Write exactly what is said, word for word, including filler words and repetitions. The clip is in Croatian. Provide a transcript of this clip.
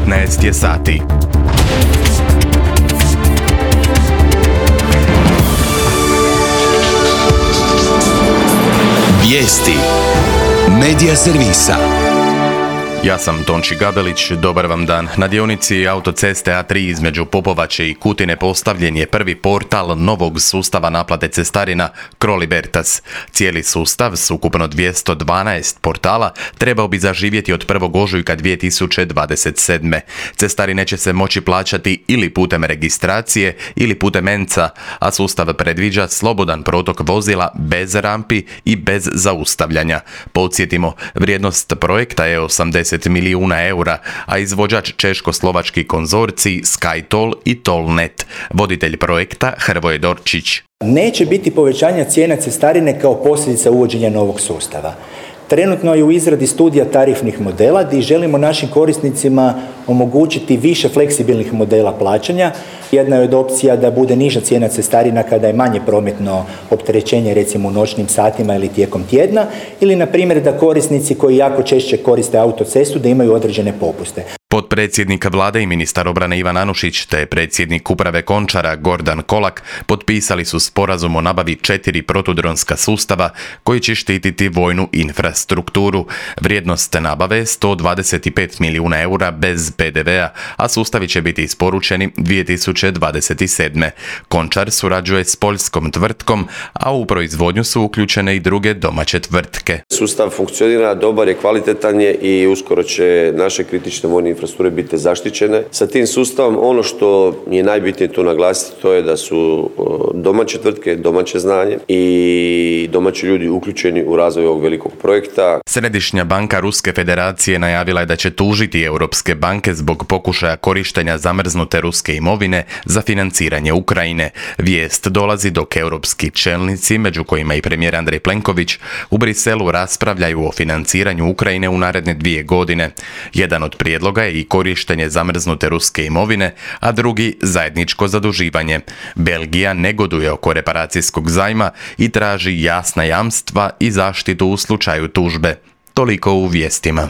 devetnaest je sati. Vijesti Medija servisa. Ja sam Tonči Gabelić, dobar vam dan. Na dionici autoceste A tri između Popovače i Kutine postavljen je prvi portal novog sustava naplate cestarina Crolibertas. Cijeli sustav s ukupno dvjesto dvanaest portala trebao bi zaživjeti od prvog ožujka dvije tisuće dvadeset sedme. Cestarine će se moći plaćati ili putem registracije ili putem enca, a sustav predviđa slobodan protok vozila bez rampi i bez zaustavljanja. Podsjetimo, vrijednost projekta je osamdeset milijuna eura, a izvođač češko-slovački konzorcij SkyToll i Tollnet. Voditelj projekta Hrvoje Dorčić. Neće biti povećanja cijena cestarine kao posljedica uvođenja novog sustava. Trenutno je u izradi studija tarifnih modela gdje želimo našim korisnicima omogućiti više fleksibilnih modela plaćanja. Jedna je od opcija da bude niža cijena cestarina kada je manje prometno opterećenje, recimo u noćnim satima ili tijekom tjedna, ili na primjer da korisnici koji jako češće koriste autocestu da imaju određene popuste. Potpredsjednik vlade i ministar obrane Ivan Anušić te predsjednik uprave Končara Gordan Kolak potpisali su sporazum o nabavi četiri protudronska sustava koji će štititi vojnu infrastrukturu. Vrijednost nabave je sto dvadeset pet milijuna eura bez pe de vea, a sustavi će biti isporučeni dvije tisuće dvadeset sedme. Končar surađuje s poljskom tvrtkom, a u proizvodnju su uključene i druge domaće tvrtke. Sustav funkcionira, dobar je, kvalitetan je i uskoro će naše kritične vojne infrastrukture biti zaštićene. Sa tim sustavom ono što je najbitnije tu naglasiti to je da su domaće tvrtke, domaće znanje i domaći ljudi uključeni u razvoj ovog velikog projekta. Središnja banka Ruske federacije najavila je da će tužiti europske banke zbog pokušaja korištenja zamrznute ruske imovine za financiranje Ukrajine. Vijest dolazi dok europski čelnici, među kojima i premijer Andrej Plenković, u Briselu raspravljaju o financiranju Ukrajine u naredne dvije godine. Jedan od prijedloga je i korištenje zamrznute ruske imovine, a drugi zajedničko zaduživanje. Belgija negoduje oko reparacijskog zajma i traži jasna jamstva i zaštitu u slučaju tužbe. Toliko u vijestima.